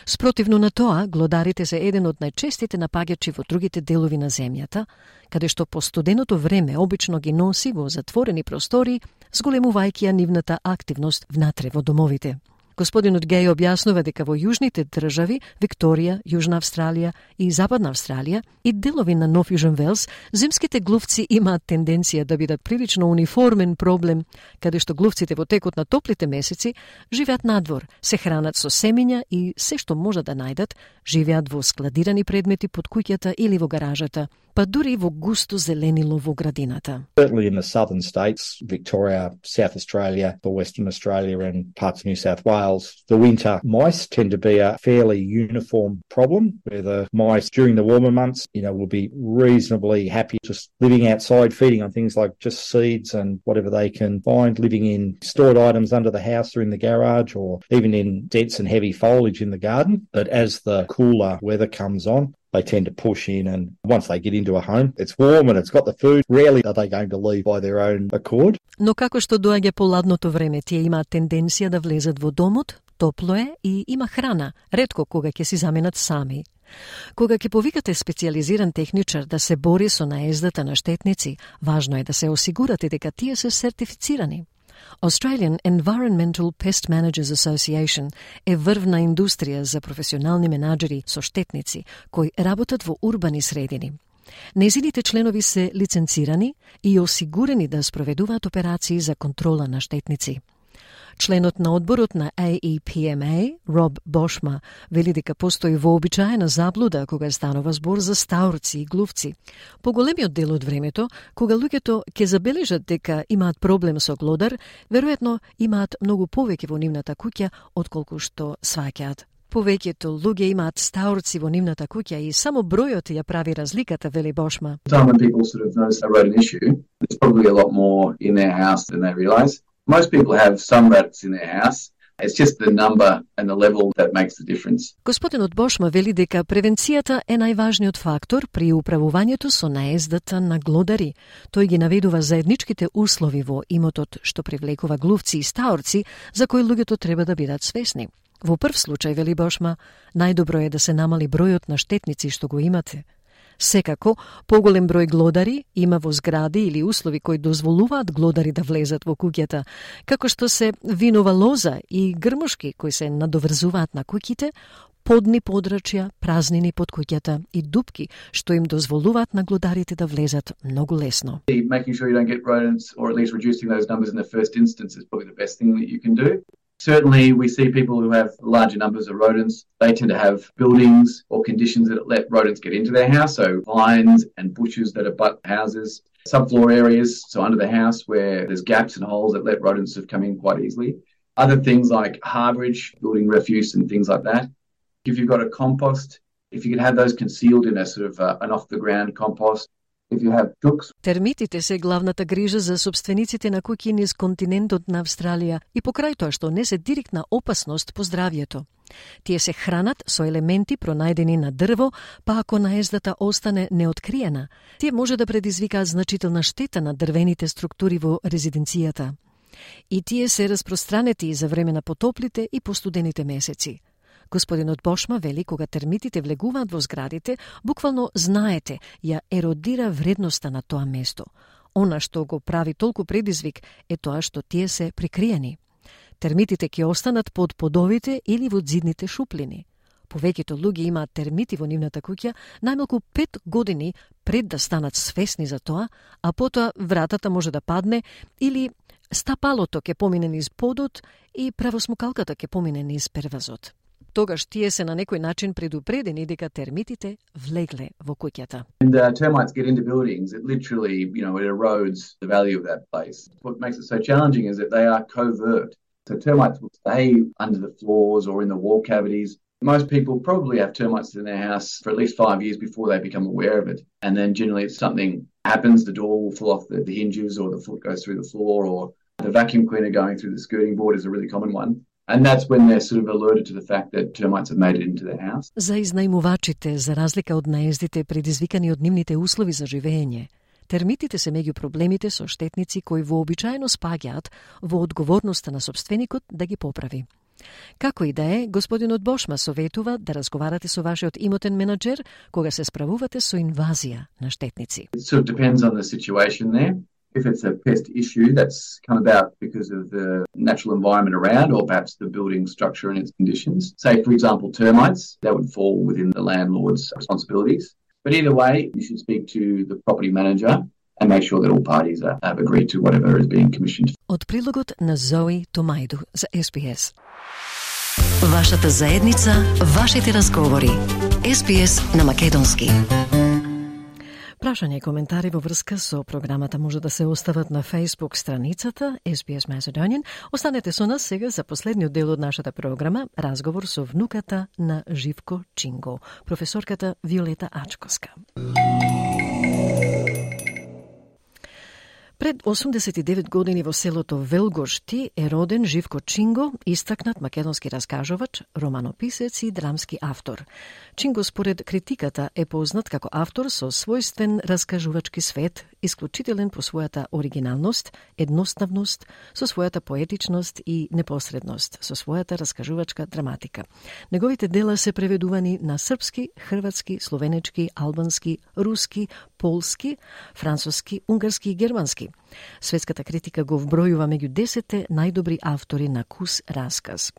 Спротивно на тоа, глодарите се еден од најчестите напаѓачи во другите делови на земјата, каде што по студеното време обично ги носи во затворени простори, зголемувајќи ја нивната активност внатре во домовите. Господинот Гей објаснува дека во јужните држави, Викторија, Јужна Австралија и Западна Австралија и делови на Нов Јужен Велс, зимските глувци имаат тенденција да бидат прилично униформен проблем, каде што глувците во текот на топлите месеци живеат надвор, се хранат со семиња и се што можат да најдат, живеат во складирани предмети под куќата или во гаражата, па дури во густо зеленило во градината. Certainly in the southern states, Victoria, South Australia, the Western Australia and parts of New South Wales, the winter mice tend to be a fairly uniform problem, where the mice during the warmer months, you know, will be reasonably happy just living outside, feeding on things like just seeds and whatever they can find, living in stored items under the house or in the garage, or even in dense and heavy foliage in the garden. But as the cooler weather comes on, they tend to push in, and once they get into a home, it's warm and it's got the food. Rarely are they going to leave by their own accord. Но како што доаѓа поладното време, тие имаат тенденција да влезат во домот, топло е и има храна, ретко кога ќе си заменат сами. Кога ќе повикате специјализиран техничар да се бори со наездата на штетници, важно е да се осигурате дека тие се сертифицирани. Australian Environmental Pest Managers Association е врвна индустрија за професионални менаџери со штетници кои работат во урбани средини. Незините членови се лиценцирани и осигурени да спроведуваат операции за контрола на штетници. Членот на одборот на A E P M A, Роб Бошма, вели дека постои вообичаена заблуда кога станува збор за стаурци и глувци. Поголемиот дел од времето, кога луѓето ќе забележат дека имаат проблем со глодар, веројатно имаат многу повеќе во нивната куќа отколку што сваќаат. Повеќето луѓе имаат стаурци во нивната куќа и само бројот ја прави разликата, вели Бошма. Time when people sort of notice a rodent issue, there's probably a lot more in their house than they realise. Most people have some rats in their house. It's just the number and the level that makes the difference. Господинот Бошма вели дека превенцијата е најважниот фактор при управувањето со наездата на глодари. Тој ги наведува заедничките услови во имотот што привлекува глувци и стаорци за кои луѓето треба да бидат свесни. Во прв случај, вели Бошма, најдобро е да се намали бројот на штетници што го имате. Секако, поголем број глодари има во згради или услови кои дозволуваат глодари да влезат во куќата, како што се винова лоза и грмушки кои се надоврзуваат на куќите, подни подрачја, празнини под куќата и дупки што им дозволуваат на глодарите да влезат многу лесно. Making sure you don't get rodents or at least reducing those numbers in the first instance is probably the best thing that you can do. Certainly, we see people who have larger numbers of rodents. They tend to have buildings or conditions that let rodents get into their house, so vines and bushes that abut houses, subfloor areas, so under the house where there's gaps and holes that let rodents have come in quite easily. Other things like harbourage, building refuse and things like that. If you've got a compost, if you can have those concealed in a sort of uh, an off-the-ground compost. If you have chooks. Термитите се главната грижа за собствениците на куќи низ континентот на Австралија и покрај тоа што не се директна опасност по здравјето. Тие се хранат со елементи пронајдени на дрво, па ако наездата остане неоткриена, тие може да предизвикаат значителна штета на дрвените структури во резиденцијата. И тие се распространети за време на потоплите и постудените месеци. Господинот Бошма вели, кога термитите влегуваат во зградите, буквално знаете, ја еродира вредноста на тоа место. Она што го прави толку предизвик е тоа што тие се прикриени. Термитите ќе останат под подовите или во зидните шуплини. Повеќето луѓе имаат термити во нивната куќа најмалку пет години пред да станат свесни за тоа, а потоа вратата може да падне или стапалото ќе помине низ подот и правосмукалката ќе помине низ первазот. Тогаш тие се на некој начин предупредени дека термитите влегле во куќата. And uh, termites get into buildings, it literally, you know, it erodes the value of that place. What makes it so challenging is that they are covert. So termites will stay under the floors or in the wall cavities. Most people probably have termites in their house for at least five years before they become aware of it. And then generally if something happens, the door will fall off the, the hinges or the foot goes through the floor or the vacuum cleaner going through the skirting board is a really common one. And that's when they're sort of alerted to the fact that termites have made it into their house. За изнајмувачите, за разлика од наездите предизвикани од нивните услови за живење, термитите се меѓу проблемите со штетници кои вообичаено спаѓаат во одговорноста на собственикот да ги поправи. Како и да е, господинот Бошма советува да разговарате со вашиот имотен менаџер кога се справувате со инвазија на штетници. It sort of depends on the situation there. If it's a pest issue that's come about because of the natural environment around or perhaps the building structure and its conditions, say, for example, termites, that would fall within the landlord's responsibilities. But either way, you should speak to the property manager and make sure that all parties are, have agreed to whatever is being commissioned. Од прилогот на Зои Томајду за Ес Би Ес. Вашата заедница, вашите разговори. Ес Би Ес на македонски. Прашања и коментари во врска со програмата може да се остават на Facebook страницата Ес Би Ес Macedonian. Останете со нас сега за последниот дел од нашата програма, разговор со внуката на Живко Чинго, професорката Виолета Ачковска. Пред осумдесет и девет години во селото Велгошти е роден Живко Чинго, истакнат македонски раскажувач, романописец и драмски автор. Чинго според критиката е познат како автор со својствен раскажувачки свет, исклучителен по својата оригиналност, едноставност, со својата поетичност и непосредност, со својата раскажувачка драматика. Неговите дела се преведувани на српски, хрватски, словенечки, албански, руски, полски, француски, унгарски и германски. Светската критика го вбројува меѓу десетте најдобри автори на кус расказ.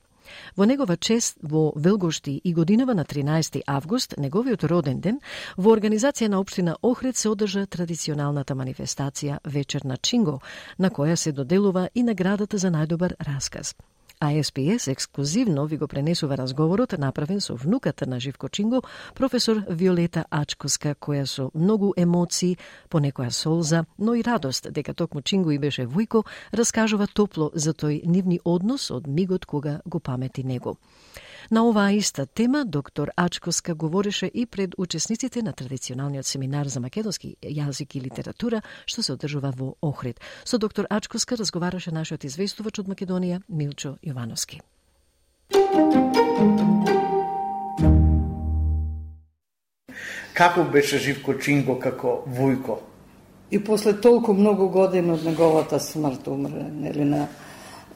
Во негова чест во Велгошти и годинава на тринаесети август, неговиот роден ден, во организација на општина Охрид се одржа традиционалната манифестација Вечер на Чинго, на која се доделува и наградата за најдобар расказ. А Ес Би Ес ексклузивно ви го пренесува разговорот направен со внуката на Живко Чинго, професор Виолета Ачковска, која со многу емоции, понекоја солза, но и радост дека токму Чинго и беше вујко, раскажува топло за тој нивни однос од мигот кога го памети него. На оваа иста тема доктор Ачковска говореше и пред учесниците на традиционалниот семинар за македонски јазик и литература што се одржува во Охрид. Со доктор Ачковска разговараше нашиот известувач од Македонија Милчо Јовановски. Како беше Живко Чинго како вујко? И после толку многу години од неговата смрт умре, нели на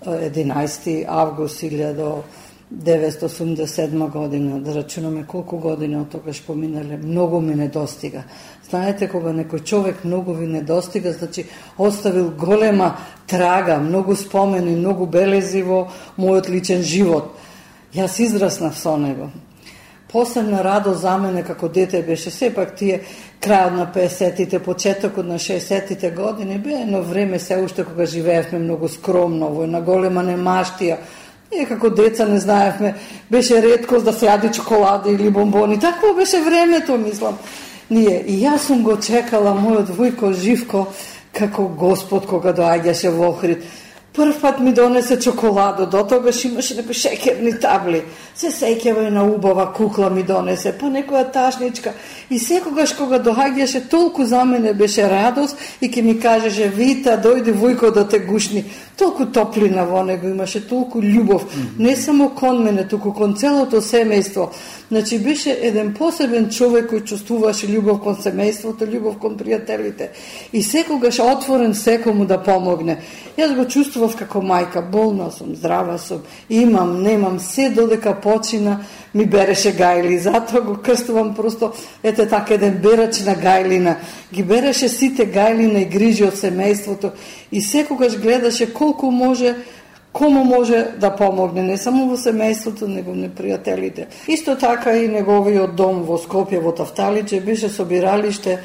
единаесети август илјада деветстотини осумдесет и седма година, да рачунаме колку години од тогаш поминале, многу ми недостига. Знаете, кога некој човек многу ви недостига, значи оставил голема трага, многу спомени, многу белези во мојот личен живот. Јас израснав со него. Посебна радост за мене како дете беше сепак тие крајот на песетите, почетокот на шеесетите години, бе едно време се уште кога живеевме многу скромно, во една голема немаштија. Ние како деца не знаевме, беше реткост да се јади чоколади или бомбони. Такво беше времето, мислам. Ние, и јас сум го чекала мојот Вујко Живко како Господ кога доаѓаше во Охрид. Прв пат ми донесе чоколадо, до тогаш имаше некои шекерни табли. Се сеќава и на убава кукла ми донесе, па некоја ташничка. И секогаш кога доаѓаше, толку за мене беше радост и ке ми кажеше: Вита, дојди Вујко да те гушни. Толку топлина во него имаше, толку љубов. Mm-hmm. Не само кон мене, туку кон целото семејство. Значи беше еден посебен човек кој чувствуваше љубов кон семејството, љубов кон пријателите. И секогаш отворен секому да помогне. Јас го чувствував како мајка, болна сум, здрава сум, имам, немам, се додека почина ми береше гајли. Затоа го крстувам просто, ете така еден берач на гајлина. Ги береше сите гајлина и грижи од семејството и секогаш гледаше колку може, кому може да помогне, не само во семејството, него на пријателите. Исто така и неговиот дом во Скопје, во Тафталиче, беше собиралиште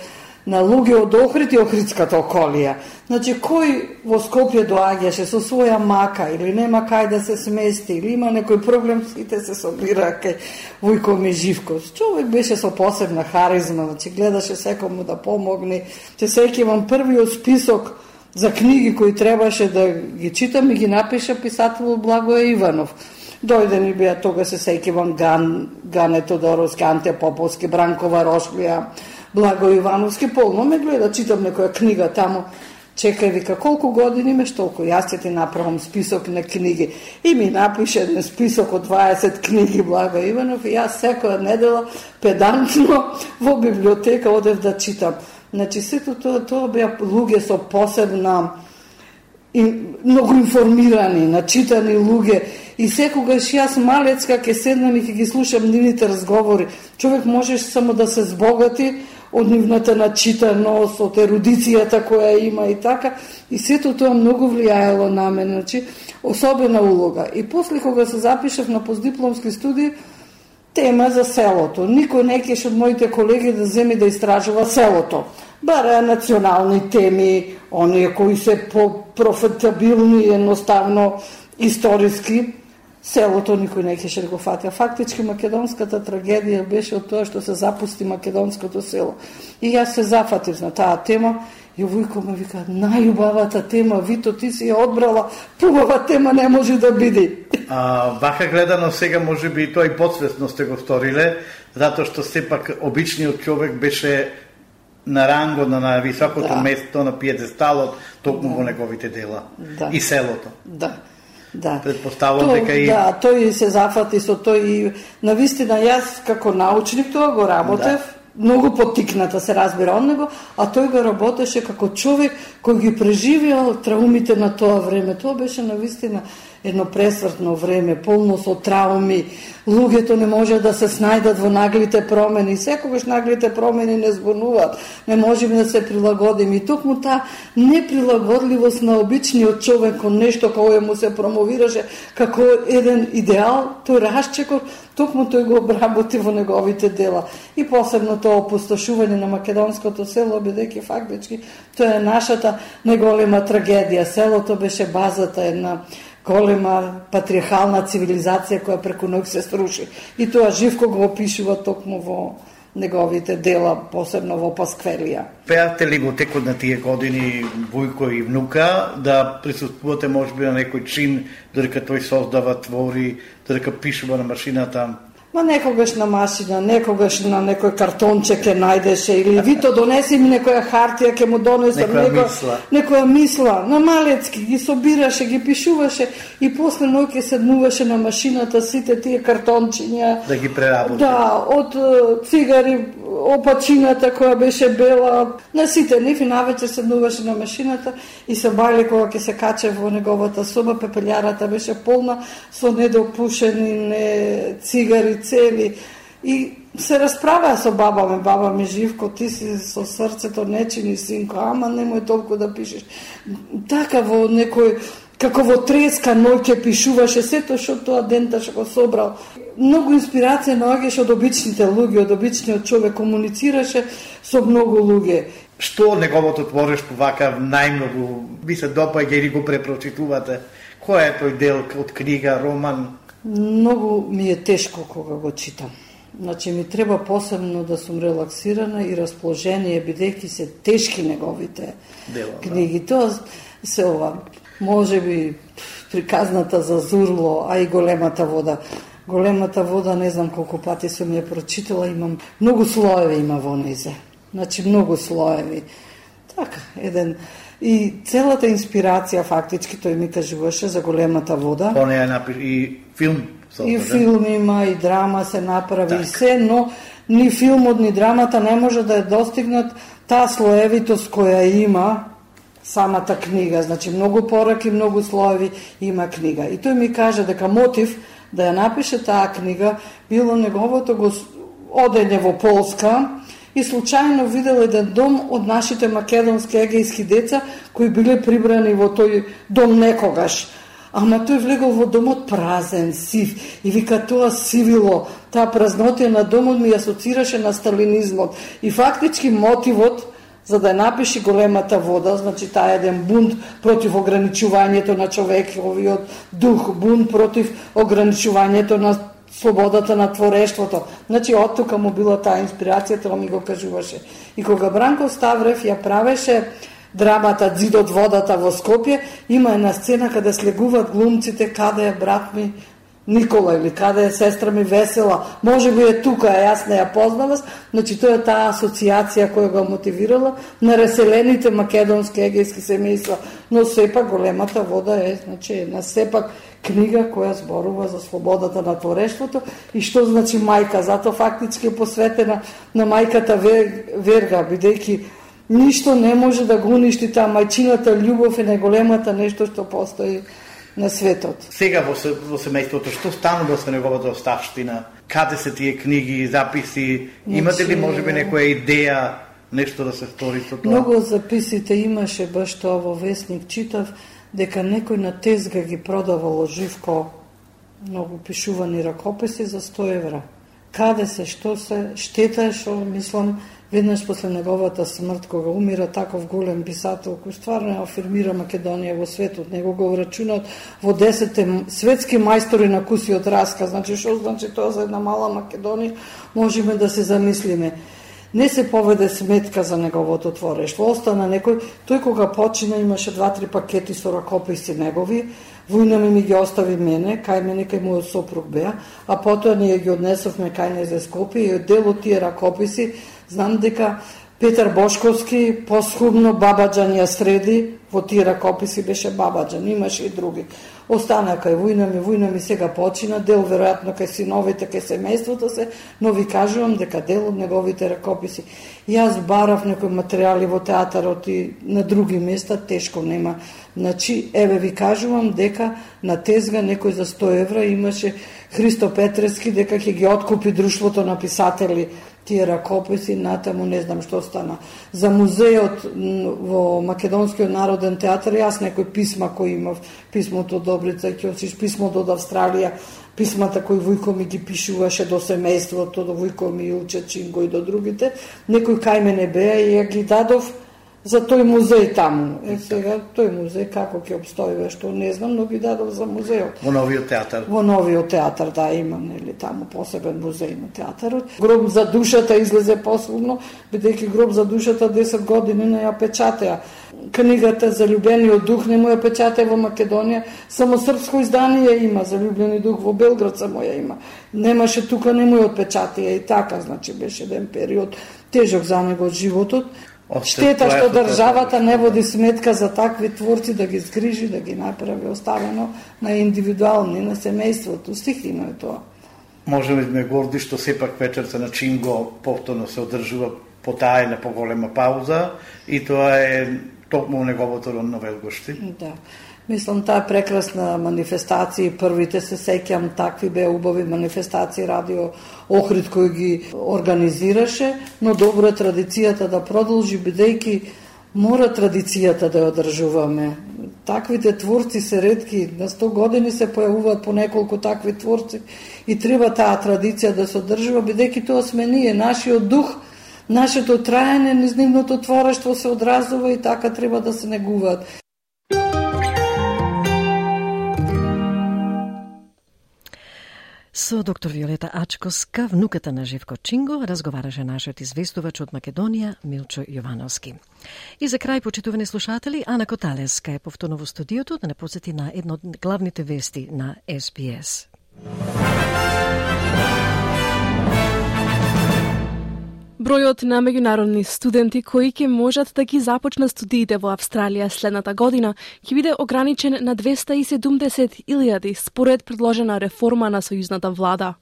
на луѓе од Охрид и Охридската околија. Значи, кој во Скопје доаѓаше со своја мака или нема кај да се смести, или има некој проблем, сите се собира кај Вујко ми Живко. Човек беше со посебна харизма, значи гледаше секому да помогне. Се сеќавам првиот список за книги кои требаше да ги читам и ги напиша писателот Благоје Иванов. Дојде ни беа тога, се сеќавам, Ган, Гане Тодоровски, Анте Поповски, Бранкова Рошлија, Благој Ивановски. Полно ме гледа, читам некоја книга таму. Чекај, вика, колку години имаш, толку јас ќе ти направам список на книги. И ми напише еден список од дваесет книги Благој Иванов и јас секоја недела педантно во библиотека одев да читам. Значи, сето тоа, тоа беа луѓе со посебна, и многу информирани, начитани луѓе. И секогаш јас малецка ке седнам и ке ги слушам нивните разговори. Човек можеш само да се збогати од нивната начитаност, од ерудицијата која има и така. И сето тоа многу влијаело на мене, значи, особена улога. И после кога се запишав на постдипломски студии, тема за селото. Никој не кеше од моите колеги да земи да истражува селото. Бара национални теми, оние кои се по-профитабилни, едноставно историски. Селото никој не кеше да го фати. Фактички македонската трагедија беше од тоа што се запусти македонското село. И јас се зафатив на таа тема и Вујко ме вика: најубавата тема, Вито, ти си ја одбрала, побава тема не може да биде. А, вака гледано сега може би и тоа и подсвесно сте го сториле, затоа што сепак обичниот човек беше на ранго, на високото да. место, на пиедесталот, токму да. во неговите дела. Да. И селото. Да. Да. Предпоставувам То, дека и... Да, тој се зафати со тој и навистина јас како научник тоа го работев, да. многу поттикната се разбира од него, а тој го работеше како човек кој ги преживеал траумите на тоа време. Тоа беше навистина едно пресвртно време, полно со трауми. Луѓето не може да се снајдат во наглите промени. Секогаш наглите промени не збунуваат. Не можеме да се прилагодиме. И токму таа неприлагодливост на обичниот човек кон нешто кое му се промовираше како еден идеал, тој расчекор, токму тој го обработи во неговите дела. И посебно тоа опустошување на македонското село, бидејќи фактички тоа е нашата најголема трагедија. Селото беше базата, една голема патриархална цивилизација која преку ноќ се сруши. И тоа Живко го опишува токму во неговите дела, посебно во Пасквелија. Пеате ли во текот на тие години Вујко и внука да присуствувате можеби на некој чин, додека тој создава, твори, додека пишува на машината? Ма некогаш на машина, некогаш на некој картонче ке најдеше, или Вито донеси ми некоја хартија, ке му донесам некоја некоја мисла. Некоја мисла. На малецки ги собираше, ги пишуваше и после ној ке седнуваше на машината сите тие картончиња. Да ги преработи. Да, од цигари, опачината која беше бела, на сите нив и навечер седнуваше на машината и се бајле кога ќе се каче во неговата соба, пепелјарата беше полна со недопушени не цигари цели и се расправаа со баба ме, баба ми Живко, ти си со срцето не чини синко, ама немој толку да пишеш. Така во некој, како во треска ној ќе пишуваше сето што тоа дента што го собрал. Многу инспирација наоѓаше од обичните луѓе, од обичниот човек, комуницираше со многу луѓе. Што неговото творештво вака најмногу ви се допаѓа или го препрочитувате Кој е тој дел од книга, роман? Многу ми е тешко кога го читам. Значи ми треба посебно да сум релаксирана и расположение, бидејќи се тешки неговите Дела, книги. Да. Тоа се ова, може би приказната за Зурло, а и Големата вода. Големата вода, не знам колку пати сум ја прочитала, имам многу слоеви има во незе. Значи многу слоеви. Така, еден и целата инспирација фактички тој ми кажуваше за Големата вода. По неја напиш и филм. И филм има, и драма се направи, так. И се, но ни филмот, ни драмата не може да ја достигнат таа слоевитост која има самата книга. Значи, многу пораки, многу слоеви има книга. И тој ми каже дека мотив да ја напише таа книга било неговото го одење во Полска и случајно видел еден дом од нашите македонски егејски деца кои биле прибрани во тој дом некогаш. Ама тој влегол во домот празен, сив, и вика тоа сивило, таа празнотија на домот ми асоцираше на сталинизмот. И фактички мотивот за да напиши Големата вода, значи таа еден бунт против ограничувањето на човековиот дух, бунт против ограничувањето на слободата на творештвото. Значи од тука му била таа инспирација, тоа ми го кажуваше. И кога Бранко Ставрев ја правеше драмата Зидот водата во Скопје, има една сцена каде слегуваат глумците каде е брат ми Никола или каде е сестра ми Весела. Може би е тука, а јас не ја познавам. Значи тоа е таа асоциација која го мотивирала на раселените македонски егејски семејства. Но сепак Големата вода е, значи, една сепак книга која зборува за слободата на творештвото и што значи мајка. Зато фактички е посветена на мајката Верга, бидејќи ништо не може да го уништи таа мајчината љубов и најголемата нешто што постои на светот. Сега во, во семејството, што станува со неговата оставштина? Каде се тие книги, записи? Имате ли можеби некоја идеја, нешто да се стори со тоа? Многу записите имаше, баш тоа во Весник читав, дека некој на тезга ги продавало Живко многу пишувани ракописи за сто евра. Каде се, што се, штета е што, мислам, веднаш после неговата смрт, кога умира таков голем писател, кој стварно афирмира Македонија во светот, него го врачунат во десетте светски мајстори на кусиот расказ. Значи, што значи тоа за една мала Македонија, можеме да се замислиме. Не се поведе сметка за неговото творештво. Остана некој, тој кога почина имаше два-три пакети со ракописи негови, војна ми ми ги остави мене, кај мене кај мојот сопруг беа, а потоа ние ги однесовме кај незе Скопје и од дел од тие ракописи знам дека Петар Бошковски посхубно Бабаджан ја среди, во тие ракописи беше Бабаджан, имаше и други. Остана кај војна ми, војна ми сега почина, дел веројатно кај синовите, кај семејството се, но ви кажувам дека дел од неговите ракописи. Јас барав некои материјали во театарот и на други места, тешко нема. Значи, еве ви кажувам дека на тезга некој за сто евра имаше Христо Петрески, дека ќе ги откупи Друштвото на писатели тие ракописи, натаму не знам што стана. За музејот во Македонскиот народен театар, јас некои писма кои имав, писмото од Добрица Ќосич, писмото од Австралија, писмата кои Вујко ми ги пишуваше до семејството, до Вујко ми Илче Чинго и до другите, некои кај мене беа и ја ги дадов за тој музеј таму. Е, сега, тој музеј како ќе обстои, што не знам, но ги дадов за музејот. Во новиот театар? Во новиот театар, да, има, нели, таму посебен музеј на театарот. Гроб за душата излезе посебно, бидејќи Гроб за душата десет години не ја печатеа. Книгата за Љубениот дух не му ја печатеа во Македонија, само српско издание има за Љубени дух, во Белград само ја има. Немаше тука, не му ја отпечатеа и така, значи беше еден период тежок за него од животот. Штета што државата не води сметка за такви творци да ги згрижи, да ги направи оставено на индивидуални, на семејството. Стихино е тоа. Можеме да ме горди што сепак вечерта на Чинго повторно се одржува потаена поголема пауза и тоа е токму неговото родно Велгошти. Да. Мислам, таа прекрасна манифестација, првите се сеќам, такви беа убави манифестации, радио Охрид кој ги организираше, но добро е традицијата да продолжи, бидејќи мора традицијата да ја одржуваме. Таквите творци се ретки, на сто години се појавуваат по неколку такви творци и треба таа традиција да се одржува, бидејќи тоа сме ние, нашиот дух, нашето траење, низ нивното творештво се одразува и така треба да се негуваат. Со доктор Виолета Ачковска, внуката на Живко Чинго, разговараше нашиот известувач од Македонија Милчо Јовановски. И за крај, почитувани слушатели, Ана Коталеска е повторно во студиото да не посети на едно од главните вести на Ес Би Ес. Бројот на меѓународни студенти кои ќе можат да ги започнат студиите во Австралија следната година ќе биде ограничен на двеста и седумдесет илјади според предложена реформа на сојузната влада.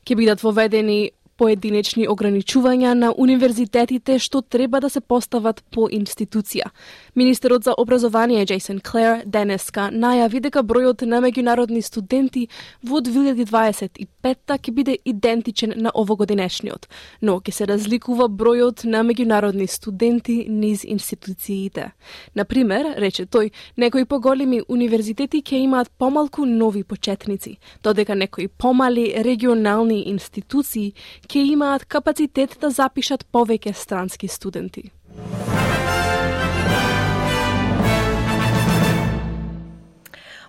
Ќе бидат воведени поединечни ограничувања на универзитетите што треба да се постават по институција. Министерот за образование Джейсон Клер денеска најави дека бројот на меѓународни студенти во две илјади дваесет и петта ќе биде идентичен на овогодинешниот, но ќе се разликува бројот на меѓународни студенти низ институциите. Например, рече тој, некои поголеми универзитети ќе имаат помалку нови почетници, додека некои помали регионални институции ќе имаат капацитет да запишат повеќе странски студенти.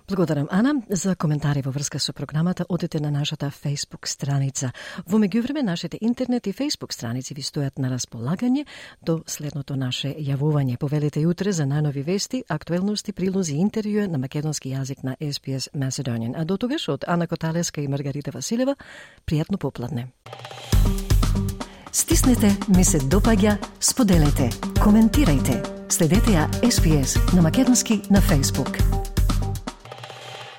Благодарам, Ана. За коментари во врска со програмата одете на нашата Facebook страница. Во меѓувреме, нашите интернет и Facebook страници ви стојат на располагање до следното наше јавување. Повелете и утре за најнови вести, актуелности, прилози и интервјуи на македонски јазик на Ес Би Ес Macedonian. А до тогаш од Ана Коталеска и Маргарита Василева, пријатно попладне. Стиснете, ми се допаѓа, споделете, коментирајте. Следете ја Ес Би Ес на македонски на Facebook.